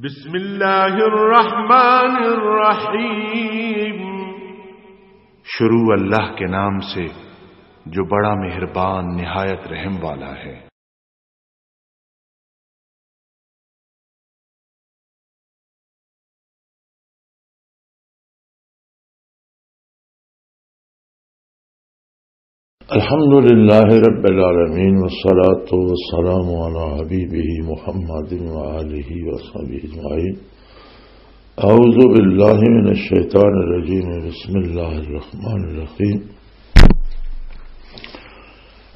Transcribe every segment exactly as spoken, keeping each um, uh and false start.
بسم اللہ الرحمن الرحیم۔ شروع اللہ کے نام سے، جو بڑا مہربان، نہایت رحم والا ہے۔ الحمد لله رب العالمين، والصلاة والسلام على حبيبه محمد وآله وصحبه أجمعين. أعوذ بالله من الشيطان الرجيم. بسم الله الرحمن الرحيم.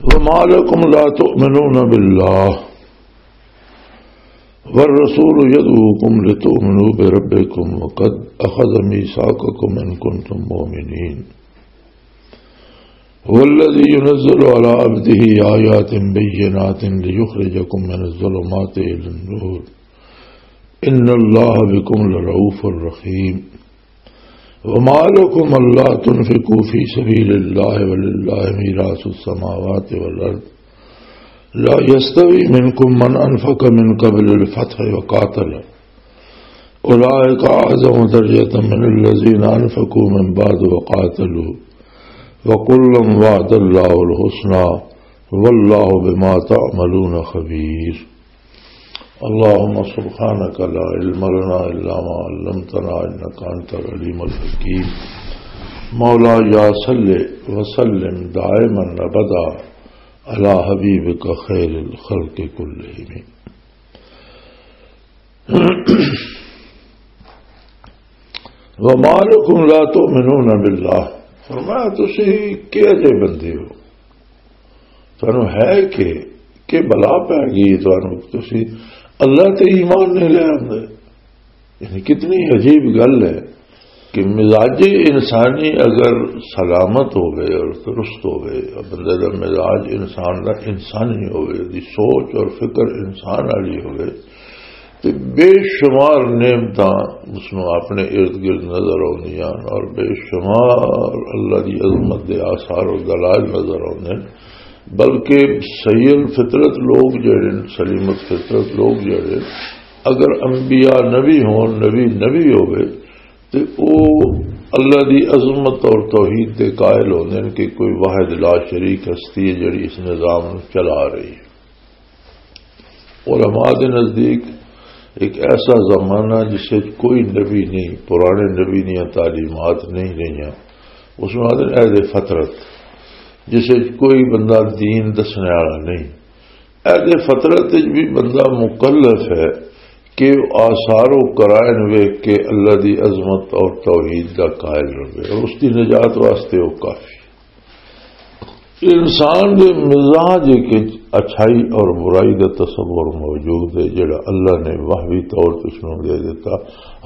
وما لكم لا تؤمنون بالله والرسول يدعوكم لتؤمنوا بربكم وقد أخذ ميثاقكم إن كنتم مؤمنين. هو الذي ينزل على عبده آيات بينات ليخرجكم من الظلمات إلى النور. إن الله بكم لرؤوف رحيم. وما لكم ألا تنفقوا في سبيل الله ولله ميراث السماوات والأرض. لا يستوي منكم من أنفق من قبل الفتح وقاتل. أولئك أعظم درجة من الذين أنفقوا من بعد وقاتلوا. وكلا وعد الله الحسنى. والله بما تعملون خبير. اللهم سبحانك لا علم لنا إلا ما علمتنا إنك أنت العليم الحكيم. مولاي صل وسلم دائما أبدا على حبيبك خير الخلق كلهم. وما لكم لا تؤمنون بالله. فرمایا، تسی کہہ جے بندے ہو؟ تانوں ہے کہ، کہ بلا پہ گئی تانوں، تسی اللہ تے ایمان نہیں لے آندے۔ یعنی کتنی عجیب گل ہے کہ مزاج انسانی اگر سلامت ہوئے اور درست ہوئے، اور بندے دا مزاج انسان دا انسانی ہوئے، دی سوچ اور فکر انسان والی ہوئے، تے بے شمار نعمتاں اس نوں اپنے ارد گرد نظر آؤندیاں اور بے شمار اللہ دی عظمت دے آثار اور دلائل نظر آؤندے۔ بلکہ سید فطرت لوگ جڑے نے، سلیمت فطرت لوگ جڑے، اگر انبیاء نبی ہون، نبی نبی ہوئے، تے او اللہ دی عظمت اور توحید دے قائل ہوندے نے کہ کوئی واحد لا شریک ہستی ہے جڑی اس نظام نوں چلا رہی ہے۔ علماء دے نزدیک ایک ایسا زمانہ جس وچ کوئی نبی نہیں، پرانے نبی دیاں تعلیمات نہیں رہیاں، اس نوں آدھے عہد فطرت، جس وچ کوئی بندہ دین دسنے والا نہیں۔ عہد فطرت وچ بھی بندہ مکلف ہے کہ آثار و قرائن ویکھ کے اللہ دی عظمت اور توحید دا قائل رہے، اور اس دی نجات واسطے وہ کافی۔ انسان دے مزاج وچ اچھائی اور برائی دا تصور موجود ہے، جڑا اللہ نے وہبی طور تے اس نوں دے دیتا۔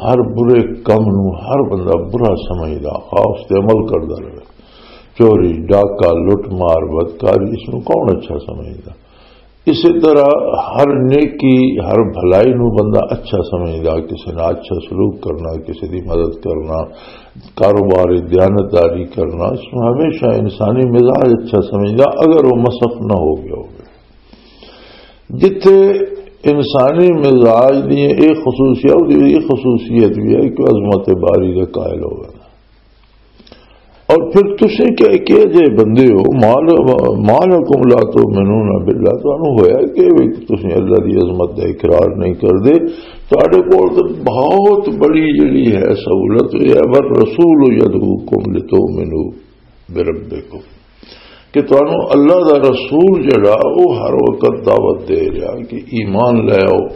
ہر برے کم نوں ہر بندہ برا سمجھدا، خواہ اس تے عمل کردا رہے۔ چوری، ڈاکہ، لٹ مار، بدکاری، اس نوں کون اچھا سمجھدا؟ اسی طرح ہر نیکی، ہر بھلائی نو بندہ اچھا سمجھدا، کسی نال اچھا سلوک کرنا، کسی دی مدد کرنا، کاروباری دیانتداری کرنا، اس نو ہمیشہ انسانی مزاج اچھا سمجھدا، اگر وہ مسخ نہ ہو گیا ہوگا۔ جتھے انسانی مزاج دی ایک خصوصیت، وہ دی ایک خصوصیت بھی ہے کہ عظمت باری کا قائل ہوگا۔ اور پھر تسیں کہہ کے جے بندے ہو، مال، مالکم لا تؤمنون باللہ، تانوں ہویا کہ وی تسیں اللہ دی عظمت دا اقرار نہیں کردے؟ تہاڈے کول تے بہت بڑی جڑی ہے سہولت، یہ ہے، والرسول یدعوکم لتؤمنوا بربکم، کہ تانوں اللہ دا رسول جڑا، وہ ہر وقت دعوت دے رہا کہ ایمان لے آؤ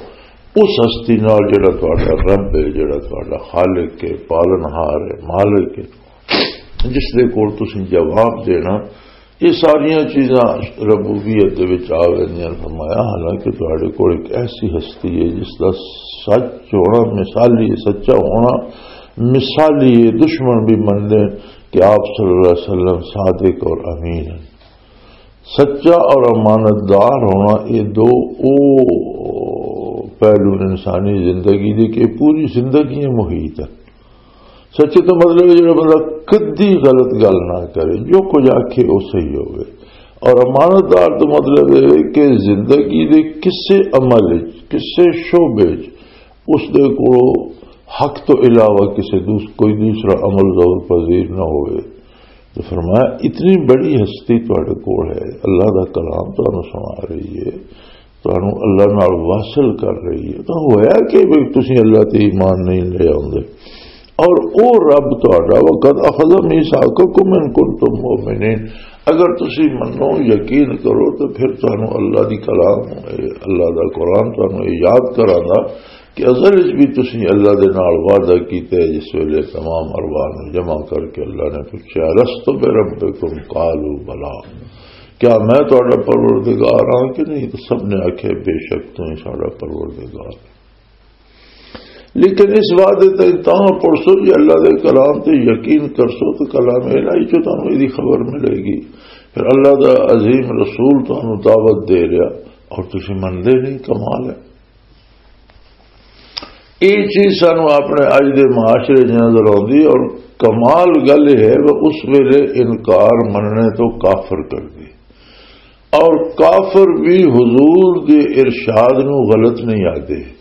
اس ہستی نال جڑا تہاڈا رب ہے، جڑا تہاڈا خالق ہے، پالنہار ہے، مالک ہے، جس دے کول تسیں جواب دینا۔ یہ ساریاں چیزاں ربوبیت دے وچ آ ویندیاں۔ فرمایا، حالانکہ تہاڈے کول ایک ایسی ہستی ہے جس دا سچ ہونا مثالی ہے، سچا ہونا مثالی ہے، دشمن بھی مننے کہ آپ صلی اللہ علیہ وسلم صادق اور امین ہیں۔ سچا اور امانت دار ہونا، یہ دو او پہلو انسانی زندگی دے کہ پوری زندگی محیط ہے۔ سچے تو مطلب ہے جڑا بندہ کدی غلط گل نہ کرے، جو کچھ آکھے وہ صحیح ہوئے۔ اور امانت دار تو مطلب ہے کہ زندگی دے کسے عمل وچ، کسے شعبے وچ اس دے کولوں حق تو علاوہ کسی دوس-، کوئی دوسرا عمل زور پذیر نہ ہوئے۔ تو فرمایا، اتنی بڑی ہستی تہاڈے کول ہے، اللہ دا کلام تانوں سنا رہی ہے، تانوں اللہ نال واصل کر رہی ہے، تو ہویا کہ بھی تسی اللہ تے ایمان نہیں لے آوندے؟ اور او رب تہاڈا، وَقَدْ أَخَذَ مِيثَاقَكُمْ إِن كُنتُم مُّؤْمِنِينَ، اگر تسی منو، یقین کرو، تو پھر تانوں اللہ دی کلام، اللہ دا قرآن تانوں یہ یاد کراندا کہ اصل وچ بھی تسی اللہ دے نال وعدہ کیتا ہے، جس ویلے تمام ارواح نوں جمع کر کے اللہ نے پوچھا، "الست بربکم؟ قالوا بلی۔" کیا میں تہاڈا پروردگار ہاں کہ نہیں؟ تو سب نے آکھیا، "بے شک تو ہی ساڈا پروردگار۔" لیکن اس وعدے تے تاں پڑسو جی، اللہ دے کلام تے یقین کرسو تو کلام الہی چوں تانوں ایدی خبر ملے گی۔ پھر اللہ دا عظیم رسول تانوں دعوت دے رہا اور تسی مندے نہیں، کمال ہے۔ یہ چیز سانو اپنے اج دے معاشرے 'چ نظر آتی، اور کمال گل یہ ہے کہ اس ویلے انکار مننے تو کافر کر دی، اور کافر بھی حضور دے ارشاد نو غلط نہیں آتے۔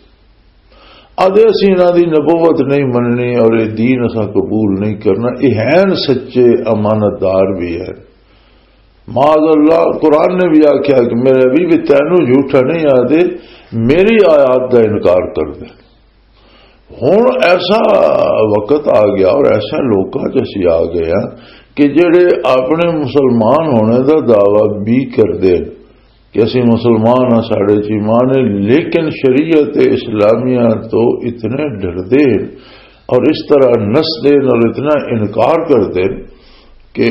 آدھے اسی انہاں دی نبوت نہیں مننی اور یہ دین اساں قبول نہیں کرنا، یہ ہیں سچے امانت دار بھی ہے۔ معاذ اللہ، قرآن نے بھی آکھیا کہ میرے بھی، بھی تینوں جھوٹا نہیں آدھے، میری آیات دا انکار کر دے۔ ہن ایسا وقت آ گیا اور ایسا لوکاں چ اسی آ گئے ہاں کہ جڑے اپنے مسلمان ہونے دا دعویٰ بھی کردے کہ اسی مسلمان ہاں، ساڈے چ ایمان ہے، لیکن شریعت اسلامیہ تو اتنے ڈردے اور اس طرح نسدے اور اتنا انکار کردے کہ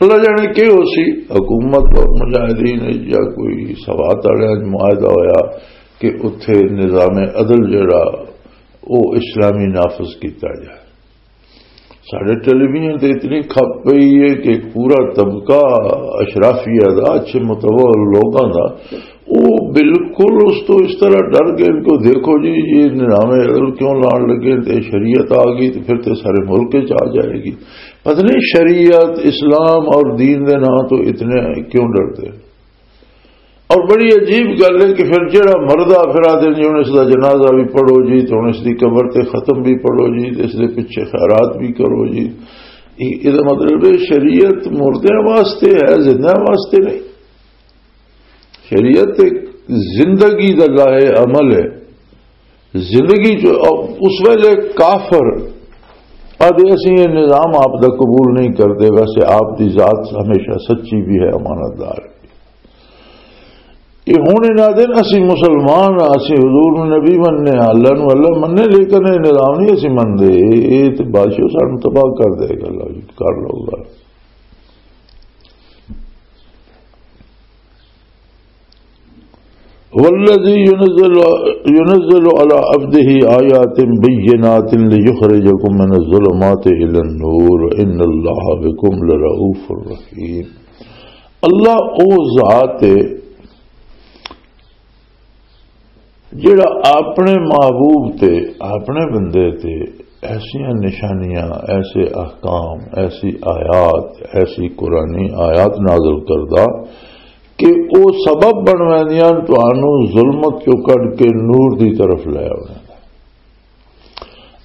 اللہ جانے کہ ہو سی، حکومت اور مجاہدین یا کوئی سوات والے معاہدہ ہویا کہ اتھے نظام عدل جڑا، وہ اسلامی نافذ کیتا جائے۔ ساڈے ٹیلی ویژن تے اتنی کھپ پئی ہے کہ پورا طبقہ اشرافیہ دا، اچھے متوہ لوگاں دا، وہ بالکل اس تو اس طرح ڈر گئے کہ دیکھو جی، یہ نظام عدل کیوں لان لگے، تے شریعت آ گئی تو پھر تے سارے ملک چ آ جائے گی۔ پتہ نہیں شریعت، اسلام اور دین دے نام تو اتنے کیوں ڈرتے ہیں۔ اور بڑی عجیب گل ہے کہ پھر جڑا مردہ پھر آدھے جی ہن اس دا جنازہ بھی پڑھو جی، تو ہن اس دی قبر تے ختم بھی پڑھو جی، اس دے پیچھے خیرات بھی کرو جی۔ یہ، یہ دا مطلب ہے شریعت مردیاں واسطے ہے، زندیاں واسطے نہیں۔ شریعت ایک زندگی دا لائحہ عمل ہے۔ زندگی جو اس ویلے کافر آدھے اسی یہ نظام آپ دا قبول نہیں کرتے، ویسے آپ دی ذات ہمیشہ سچی بھی ہے، امانت دار۔ یہ ہن انہاں دے اسی مسلمان ہاں، اسی حضور نبی مننے ہاں، اللہ نو اللہ مننے، لیکن یہ نظام نہیں اسی مندے۔ یہ تے بادشاہ سانو تباہ کر دے گا، اللہ جی، کر لو گا۔ والذي ينزل، ينزل على عبده آيات بينات ليخرجكم من الظلمات إلى النور إن الله بكم لرؤوف رحيم۔ اللہ او ذات ہے جڑا اپنے محبوب تے، اپنے بندے تے ایسیاں نشانیاں، ایسے احکام، ایسی آیات، ایسی قرآنی آیات نازل کردا کہ او سبب بن ویندیاں تانوں ظلمت چوں کڈ کے نور دی طرف لے آوندیاں۔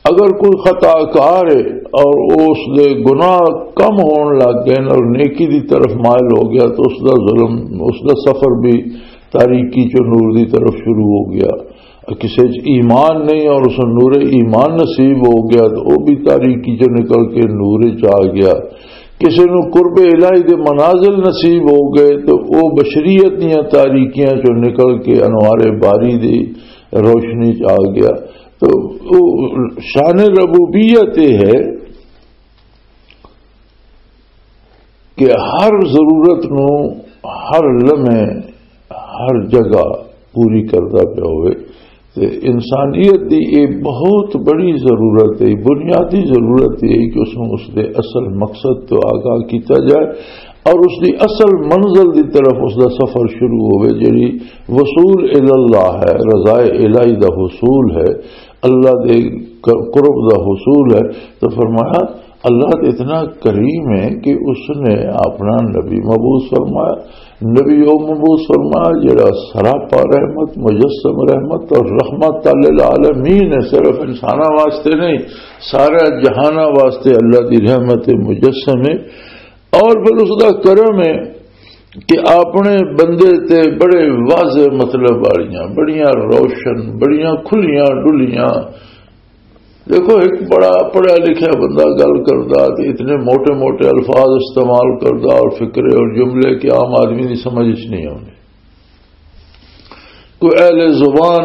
اگر کوئی خطا کار ہے اور اس دے گناہ کم ہون لگ گئے اور نیکی دی طرف مائل ہو گیا، تو اس دا ظلم، اس دا سفر بھی تاریکی چوں نور دی طرف شروع ہو گیا۔ کسے چ ایمان نہیں اور اس نوں نور ایمان نصیب ہو گیا، تو وہ بھی تاریکی چوں نکل کے نور چ آ گیا۔ کسے نوں قرب الہی دے منازل نصیب ہو گئے، تو وہ بشریت دیاں تاریکیاں چوں نکل کے انوار باری دی روشنی چ آ گیا۔ تو وہ شان ربوبیت یہ ہے کہ ہر ضرورت نو، ہر لمحے، ہر جگہ پوری کردا پیا ہوئے۔ تے انسانیت دی یہ بہت بڑی ضرورت ہے، بنیادی ضرورت یہ ہے کہ اس نو اس دے اصل مقصد تو آگاہ کیتا جائے اور اس دی اصل منزل دی طرف اس دا سفر شروع ہوئے، جڑی وصول الی اللہ ہے، رضائے الہی دا حصول ہے، اللہ دے ق-، قرب دا حصول ہے۔ تو فرمایا، اللہ تو اتنا کریم ہے کہ اس نے اپنا نبی مبعوث فرمایا۔ نبی وہ مبعوث فرمایا جڑا سراپا رحمت، مجسم رحمت اور رحمت للعالمین ہے، صرف انساناں واسطے نہیں، سارا جہاناں واسطے اللہ دی رحمت مجسم ہے۔ اور پھر اس دا کرم ہے کہ اپنے بندے تے بڑے واضح مطلب والیاں، بڑیاں روشن، بڑیاں کھلیاں ڈلیاں۔ دیکھو، ایک بڑا پڑھا لکھا بندہ گل کردا تے اتنے موٹے موٹے الفاظ استعمال کردا اور فقرے اور جملے کہ عام آدمی دی سمجھ وچ نہیں آوندے۔ کوئی اہل زبان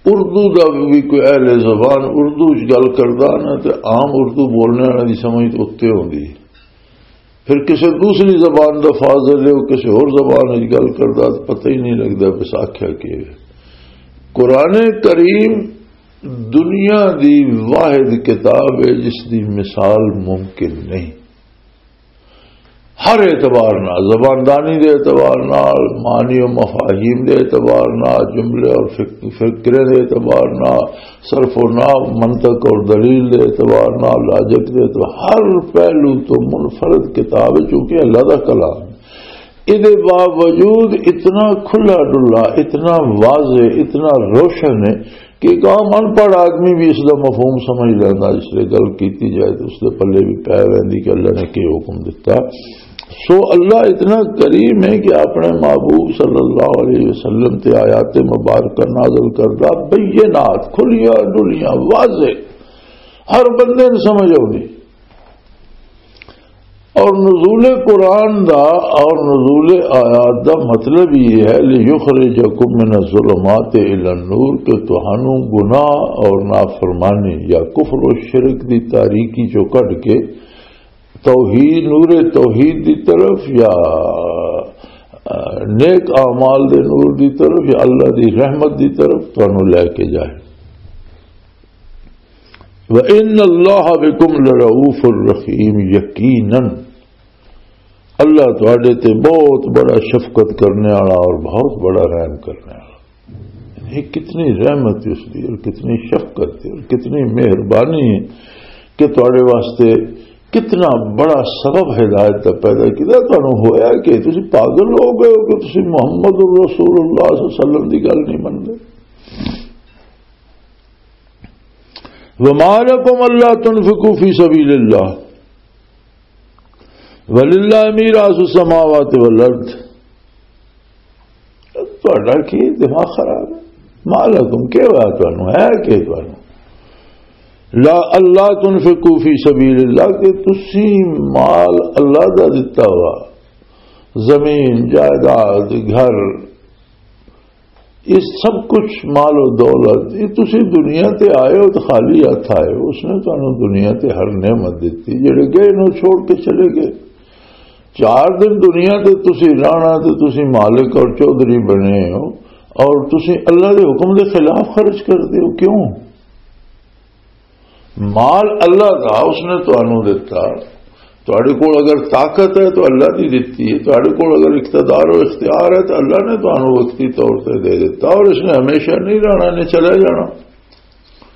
اردو دا بھی، کوئی اہل زبان اردو وچ گل کردا نا، تے عام اردو بولنے والے دی سمجھ تے اُتے ہوندی ہے۔ پھر کسی دوسری زبان دا فاضل ہے، وہ کسی اور زبان وچ گل کردا تے پتہ ہی نہیں لگدا بس آکھیا کی ہے۔ قرآن کریم دنیا دی واحد کتاب ہے جس دی مثال ممکن نہیں۔ ہر اعتبار نال، زباندانی دے اعتبار نال، معنی و مفاہیم دے اعتبار نال، جملے اور فک-، فکرے دے اعتبار نال، صرف و نحو، منطق اور دلیل دے اعتبار نال، لاجک دے اعتبار، ہر پہلو تو منفرد کتاب ہے، چونکہ اللہ دا کلام۔ اے دے باوجود اتنا کھلا ڈلا، اتنا واضح، اتنا روشن ہے کہ ایک عام ان پڑھ آدمی بھی اس دا مفہوم سمجھ لینا، اس لیے گل کیتی جائے تو اس دے پلے بھی پے ویندی کہ اللہ نے کی حکم دیتا۔ سو اللہ اتنا کریم ہے کہ اپنے محبوب صلی اللہ علیہ وسلم تے آیات مبارکہ نازل کردا، بینات، کھلیاں ڈلیاں، واضح، ہر بندے نے سمجھ آؤ۔ اور نزول قرآن دا اور نزول آیات دا مطلب یہ ہے، لِيُخْرِجَكُم مِّنَ الظُّلُمَاتِ إِلَى النُّورِ، کہ تہانوں گناہ اور نافرمانی یا کفر و شرک دی تاریکی چوں کڈ کے توحید، نور توحید دی طرف یا، آ، نیک اعمال دے نور دی طرف یا اللہ دی رحمت دی طرف تہانوں لے کے جائے۔ وَإِنَّ اللَّهَ بِكُمْ لَرَءُوفٌ رَحِيمٌ، یقیناً اللہ تواڈے تے بہت بڑا شفقت کرنے والا اور بہت بڑا رحم کرنے والا۔ یہ کتنی رحمت ہے اس دی اور کتنی شفقت ہے اور کتنی مہربانی ہے کہ تواڈے واسطے کتنا بڑا سبب ہدایت دا پیدا کیتا۔ تانوں ہویا کہ تسی پاگل ہو گئے ہو کہ تسی محمد رسول اللہ صلی اللہ علیہ وسلم دی گل نہیں منتے؟ وما لكم ألا تنفقوا في سبيل الله ولله ميراث السماوات والأرض۔ تہاڈا کی دماغ خراب ہے؟ ما لکم، کیا ہوا تانوں؟ ہے کہ تانوں؟ لا، اللہ تنفقوا فی سبیل اللہ، کہ تسی مال اللہ دا دتا ہوا، زمین، جائیداد، گھر، یہ سب کچھ، مال و دولت، یہ تسی دنیا تے آئے ہو تو خالی ہاتھ آئے ہو۔ اس نے تانوں دنیا تے ہر نعمت دتی۔ جڑے گئے نو چھوڑ کے چلے گئے۔ چار دن دنیا تے تسی رہنا تے تسی مالک اور چوہدری بنے ہو اور تسی اللہ دے حکم دے خلاف خرچ کردے ہو۔ کیوں؟ مال اللہ دا، اس نے تانوں دتا۔ تہاڈے کول اگر طاقت ہے تو اللہ دی دتی ہے، تہاڈے کول اگر اقتدار و اختیار ہے تو اللہ نے تانوں وقتی طور تے دے دتا، اور اس نے ہمیشہ نہیں رہنا، نے چلا جانا۔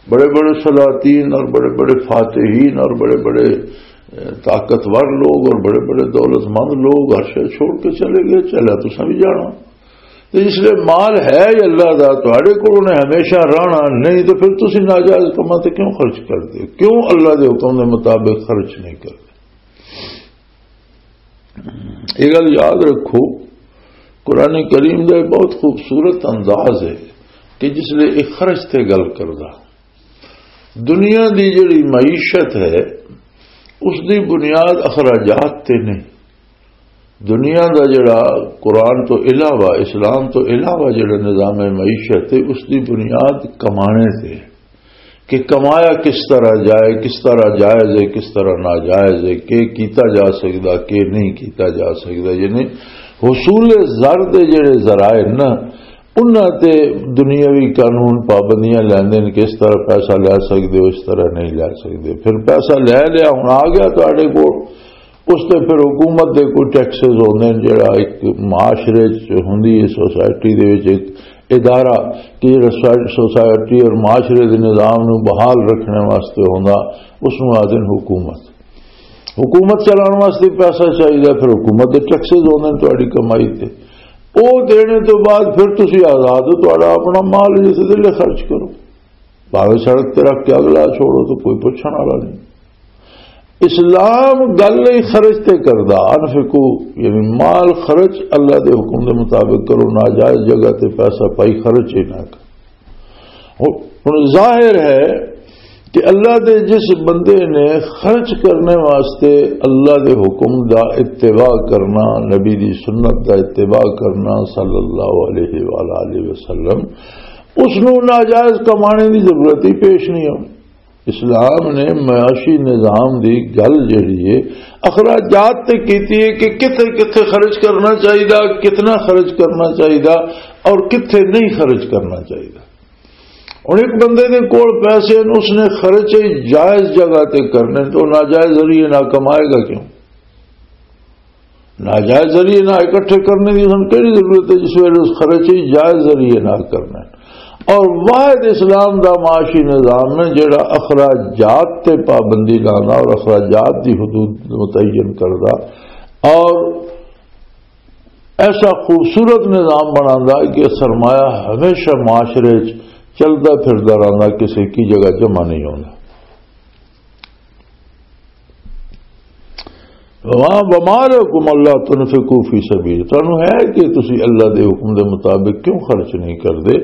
بڑے بڑے سلاطین اور بڑے بڑے فاتحین اور بڑے بڑے، اے، طاقتور لوگ اور بڑے بڑے دولت مند لوگ ہر شے چھوڑ کے چلے گئے، چلا تساں بھی جانا۔ تے اس لیے مال ہے ہی اللہ دا، تہاڈے کول انہیں ہمیشہ رہنا نہیں، تے پھر تسی ناجائز کماں تے کیوں خرچ کردے ہو؟ کیوں اللہ دے حکم دے مطابق خرچ نہیں کردے؟ یہ گل یاد رکھو، قرآن کریم دا ایک بہت خوبصورت انداز ہے کہ جس لیے ایک خرچ تے گل کردا۔ دنیا دی جڑی معیشت ہے، اس دی بنیاد اخراجات تے نہیں۔ دنیا دا جڑا قرآن تو علاوہ، اسلام تو علاوہ جڑا نظام معیشت ہے، اس دی بنیاد کمانے تے، کہ کمایا کس طرح جائے، کس طرح جائز ہے، کس طرح ناجائز ہے، کہ کیتا جا سکدا، کہ نہیں کیتا جا سکدا۔ یعنی حصول زر دے جڑے ذرائع نا، انہاں تے دنیاوی قانون پابندیاں لیندے نے کہ اس طرح پیسہ لے سکدے ہو، اس طرح نہیں لے سکدے۔ پھر پیسہ لے لیا، ہن آ گیا تہاڈے کول، اس تے پھر حکومت دے کوئی ٹیکسز ہوندے نے، جڑا ایک معاشرے چ ہوندی ہے، سوسائٹی دے وچ ایک ادارہ کہ جڑا سوسائٹی اور معاشرے دے نظام نو بحال رکھنے واسطے ہوندا، اس نوں آخدے نے حکومت۔ حکومت چلاؤن واسطے پیسہ چاہیے، پھر حکومت دے ٹیکسز ہوندے نے تہاڈی کمائی تے، او دینے تو بعد پھر تسی آزاد ہو، تہاڈا اپنا مال جس دے لے خرچ کرو، بھاوے سڑک تے رکھ کے اگلا چھوڑو تو کوئی پوچھن والا نہیں۔ اسلام گل ہی خرچ تے کردا، انفقو، یعنی مال خرچ اللہ دے حکم دے مطابق کرو، ناجائز جگہ تے پیسہ پائی خرچ ہی نہ کرو۔ ہن ظاہر ہے کہ اللہ دے جس بندے نے خرچ کرنے واسطے اللہ دے حکم دا اتباع کرنا، نبی دی سنت دا اتباع کرنا صلی اللہ علیہ وآلہ وسلم، اس نوں ناجائز کمانے دی ضرورت ہی پیش نہیں ہونی۔ اسلام نے معاشی نظام دی گل جڑی ہے، اخراجات تے کیتی ہے کہ کتھے کتھے خرچ کرنا چاہیدا، کتنا خرچ کرنا چاہیدا اور کتھے نہیں خرچ کرنا چاہیدا۔ ہن ایک بندے دے کول پیسے نے، اس نے خرچ جائز جگہ تے کرنے، تو ناجائز ذریعے نہ کمائے گا کیوں؟ ناجائز ذریعے نہ اکٹھے کرنے دی ہن کہڑی ضرورت ہے، جس ویلے اس خرچ ہی جائز ذریعے نہ کرنا ہے۔ اور واحد اسلام دا معاشی نظام ہے جڑا اخراجات تے پابندی لانا اور اخراجات دی حدود متعین کردا اور ایسا خوبصورت نظام بناندا کہ سرمایہ ہمیشہ معاشرے چ چلدا پھردا رہندا، کسی کی جگہ جمع نہیں ہوندا۔ وما، وما لکم الا تنفقوا فی سبیل، تانوں ہے کہ تسی اللہ دے حکم دے مطابق کیوں خرچ نہیں کردے؟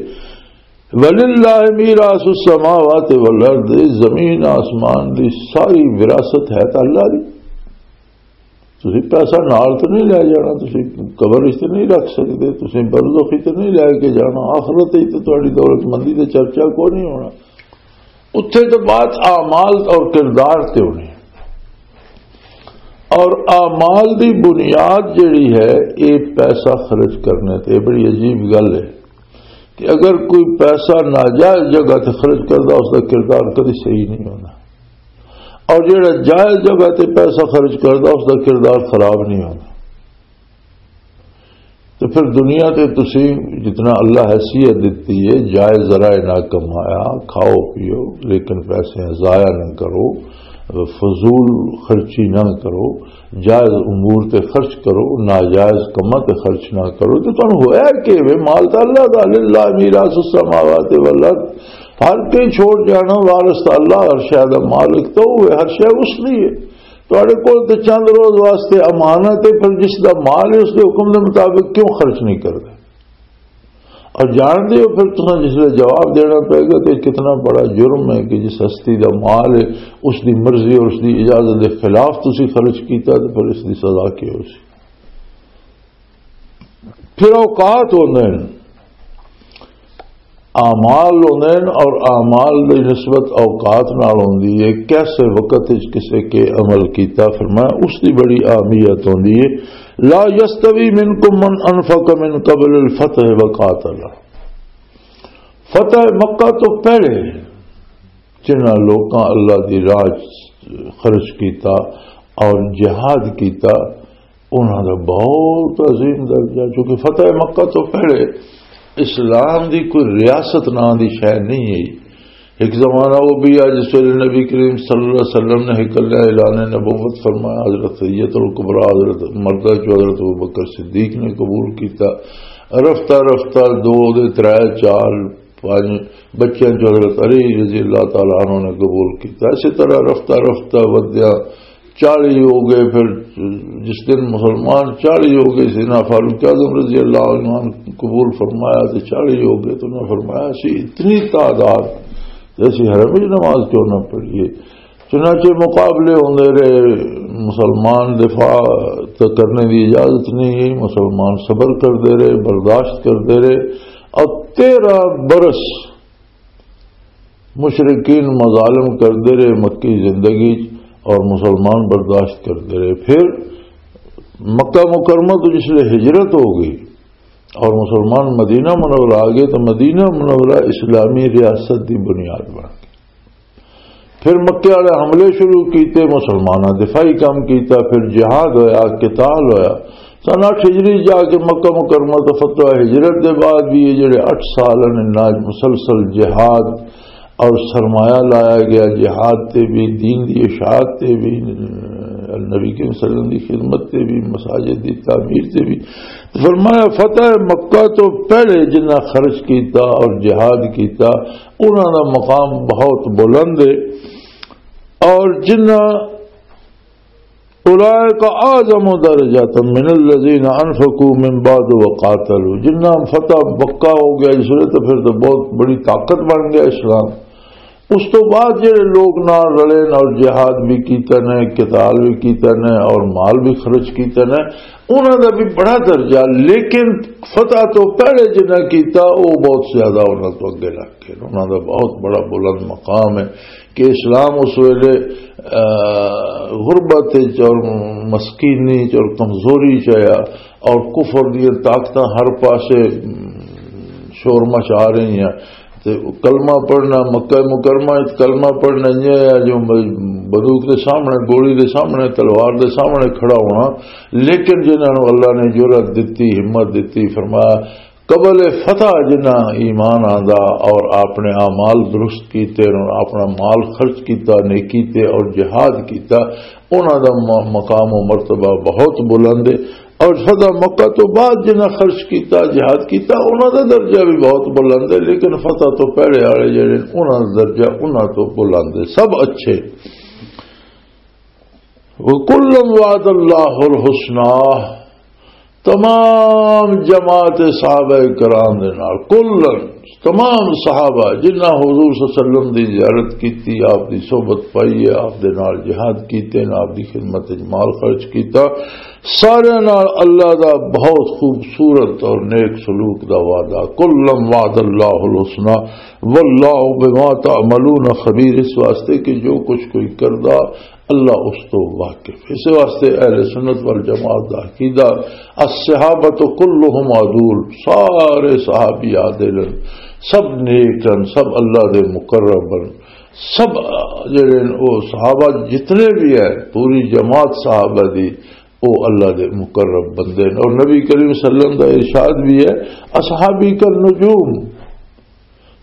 وللہ میراث السماوات والارض، زمین آسمان دی ساری وراثت ہے تے اللہ دی۔ تسی پیسہ نال تے نہیں لے جانا، تسی قبر وچ تے نہیں رکھ سکدے، تسی برزخ وچ تے نہیں لے کے جانا، آخرت وچ تے تہاڈی دولت مندی تے چرچا کوئی نہیں ہونا۔ اتھے تے بات اعمال اور کردار تے ہونی۔ اور اعمال دی بنیاد جڑی ہے، یہ پیسہ خرچ کرنے تے۔ بڑی عجیب گل ہے کہ اگر کوئی پیسہ ناجائز جگہ تے خرچ کردا، اس دا کردار کدی صحیح نہیں ہونا، اور جڑا جائز جگہ تے پیسہ خرچ کردا، اس دا کردار خراب نہیں ہونا۔ تو پھر دنیا تے تسی جتنا اللہ حیثیت دتی ہے، جائز ذرائع نہ کمایا، کھاؤ پیو، لیکن پیسے ضائع نہ کرو، فضول خرچی نہ کرو، جائز امور تے خرچ کرو، ناجائز کماں تے خرچ نہ کرو۔ تے تانوں ہویا کہ وے مال تے اللہ دا، للہ میراث السماوات والارض، ہر کوئی چھوڑ جانا، وارث تے اللہ، ہر شے دا مالک تو وہ ہے، ہر شے اس دی ہے۔ تہاڈے کول تے چند روز واسطے امانت ہے، پر جس دا مال ہے اس دے حکم دے مطابق کیوں خرچ نہیں کرتے؟ اور جان دے ہو پھر تساں جس ویلے جواب دینا پے گا کہ کتنا بڑا جرم ہے کہ جس ہستی دا مال ہے، اس دی مرضی اور اس دی اجازت دے خلاف تسی خرچ کیتا، تو پھر اس دی سزا کی ہو سی؟ پھر اوقات ہوندے نے، اعمال ہوندے نے، اور اعمال دی نسبت اوقات نال ہوندی ہے۔ کیسے وقت وچ کسے کے عمل کیتا، فرمایا، اس دی بڑی اہمیت ہوندی ہے۔ لا یستوی منکم من انفق من قبل الفتح وقاتل، فتح مکہ تو پہلے جنہاں لوکاں اللہ دی راہ چ خرچ کیتا اور جہاد کیتا، انہاں دا بہت عظیم درجہ، چونکہ فتح مکہ تو پہلے اسلام دی کوئی ریاست نام دی شے نہیں ہے۔ ایک زمانہ وہ بھی آیا جس ویلے نبی کریم صلی اللہ علیہ وسلم نے اکلے اعلان نبوت فرمایا، حضرت سید الکبریٰ، حضرت مردہ جو حضرت ابو بکر صدیق نے قبول کیتا۔ رفتہ رفتہ دو دے ترے چار پانچ بچیاں جو حضرت علی رضی اللہ تعالیٰ عنہ نے قبول کیتا۔ اسی طرح رفتہ رفتہ ودیا چالیس ہو گئے۔ پھر جس دن مسلمان چالیس ہو گئے، سیدنا فاروق اعظم رضی اللہ عنہ نے قبول فرمایا تو چالیس ہو گئے۔ تو انہوں نے فرمایا، اسی اتنی تعداد تے اسی حرم وچ نماز کیوں نہ پڑھیے؟ چنانچہ مقابلے ہوندے رہے، مسلمان دفاع تے کرنے دی اجازت نہیں، مسلمان صبر کردے رہے، برداشت کردے رہے، اور تیرہ برس مشرکین مظالم کردے رہے مکی زندگی چ، اور مسلمان برداشت کردے رہے۔ پھر مکہ مکرمہ تو جس لئے ہجرت ہو گئی اور مسلمان مدینہ منورہ آ گئے، تو مدینہ منورہ اسلامی ریاست دی بنیاد بن گئی۔ پھر مکے والے حملے شروع کیتے، مسلماناں دفاعی کام کیتا، پھر جہاد ہویا، قتال ہویا۔ سن اٹھ ہجری جا کے مکہ مکرمہ تو فتح، ہجرت دے بعد بھی یہ جڑے اٹھ سال نے، انہاں مسلسل جہاد اور سرمایہ لایا گیا جہاد تے بھی، دین دی اشاعت تے بھی، نبی کریم صلی اللہ علیہ وسلم دی خدمت تے بھی، مساجد دی تعمیر تے بھی۔ فرمایا، فتح مکہ تو پہلے جنہ خرچ کیتا اور جہاد کیتا، انہاں دا مقام بہت بلند ہے۔ اور جنہ اولئک اعظم درجات من الذین انفقوا من بعد وقاتلوا، جنہ فتح مکہ ہو گیا اس ویلے، تو پھر تو بہت بڑی طاقت بن گیا اسلام۔ اس تو بعد جڑے لوگ نال رلے نے اور جہاد بھی کیتا نے، قتال بھی کیتا نے اور مال بھی خرچ کیتا نے، انہاں دا بھی بڑا درجہ، لیکن فتح تو پہلے جنہاں کیتا، وہ بہت زیادہ انہاں تو اگے لگ گئے۔ انہاں دا بہت بڑا بلند مقام ہے کہ اسلام اس ویلے، آ، غربت وچ اور مسکینی وچ اور کمزوری چ آیا، اور کفر دیاں طاقتاں ہر پاسے، م، شور مچا رہی ہیں۔ تے کلمہ پڑھنا، مکہ مکرمہ وچ کلمہ پڑھنا یہ ہے جو بندوق دے سامنے، گولی دے سامنے، تلوار دے سامنے کھڑا ہونا۔ لیکن جنہاں نوں اللہ نے جرأت دتی، ہمت دتی، فرمایا، قبل فتح جنہاں ایمان آندا اور اپنے اعمال درست کیتے اور اپنا مال خرچ کیتا نیکی تے اور جہاد کیتا، انہاں دا م-، مقام و مرتبہ بہت بلند ہے۔ اور فتح مکہ تو بعد جنہاں خرچ کیتا، جہاد کیتا، انہاں دا درجہ بھی بہت بلند ہے، لیکن فتح تو پہلے والے جڑے، انہاں دا درجہ انہاں تو بلند ہے۔ سب اچھے۔ وَكُلًّا وَعَدَ اللَّهُ الْحُسْنَى، تمام جماعت صحابہ کرام دے نال، کلن، تمام صحابہ جنہاں حضور صلی اللہ علیہ وسلم دی زیارت کیتی، آپ دی صحبت پائی ہے، آپ دے نال جہاد کیتے نے، آپ دی خدمت وچ مال خرچ کیتا، سارے نال اللہ دا بہت خوبصورت اور نیک سلوک دا وعدہ۔ کلًّا وعد اللہ الحسنی واللہ بما تعملون خبیر، اس واسطے کہ جو کچھ کوئی کردا، اللہ اس تو واقف۔ اس واسطے اہل سنت والجماعت دا عقیدہ، الصحابۃ کلہم عدول، سارے صحابی عادل ہیں، سب نیک ہیں، سب اللہ دے مقرب ہیں، سب جڑے ہیں، وہ صحابہ جتنے بھی ہیں، پوری جماعت صحابہ دی، وہ اللہ دے مقرب بندے ہیں۔ اور نبی کریم صلی اللہ علیہ وسلم دا ارشاد بھی ہے، اصحابی کالنجوم،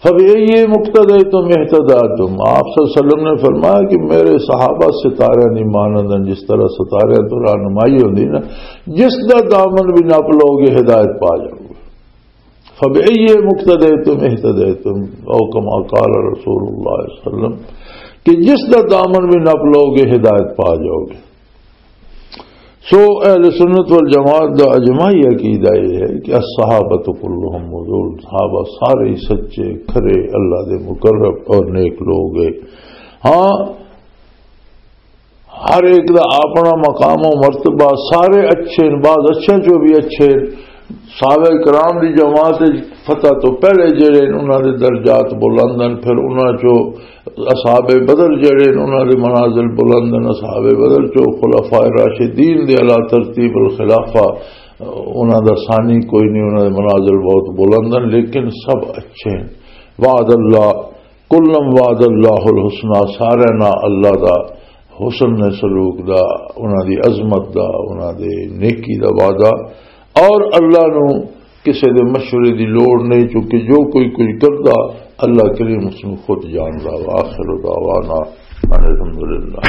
فَبِأَيِّهِمُ اقْتَدَيْتُمْ اهْتَدَيْتُمْ۔ آپ صلی اللہ علیہ وسلم نے فرمایا کہ میرے صحابہ ستارے دی مانند ہیں، جس طرح ستارے تو رہنمائی ہوندی نا، جس دا دامن بھی نپ لو گے، ہدایت پا جاؤ گے۔ فَبِأَيِّهِمُ اقْتَدَيْتُمْ اهْتَدَيْتُمْ، او کما قال رسول اللہ صلی اللہ علیہ وسلم، کہ جس دا دامن بھی نپ لو گے، ہدایت پا جاؤ گے۔ سو اہل سنت والجماعت دا اجماعی عقیدہ یہ ہے کہ الصحابۃ کلہم عدول، صحابہ سارے ہی سچے، کھرے، اللہ دے مقرب اور نیک لوگ ہیں۔ ہاں، ہر ایک دا اپنا مقام و مرتبہ، سارے اچھے ہیں، بعض اچھے جو بھی اچھے ہیں۔ صحابہ کرام دی جماعت وچ فتح تو پہلے جڑے ہیں، انہاں دے درجات بلند ہیں، پھر انہاں چوں اصحاب بدر جڑے ہیں، انہاں دے منازل بلند ہیں۔ اصحاب بدر چوں خلفاء راشدین دے علی ترتیب الخلافہ، انہاں دا ثانی کوئی نہیں، انہاں دے منازل بہت بلند ہیں، لیکن سب اچھے ہیں۔ وعد اللہ، کلم وعد اللہ الحسنی، سارے نال اللہ دا حسن سلوک دا، انہاں دی عظمت دا، انہاں دے نیکی دا وعدہ۔ اور اللہ نو کسے دے مشورے دی لوڑ نہیں، چونکہ جو کوئی کچھ کردا، اللہ کریم اس نو خود جاندا۔ وآخر دعوانا ان الحمدللہ۔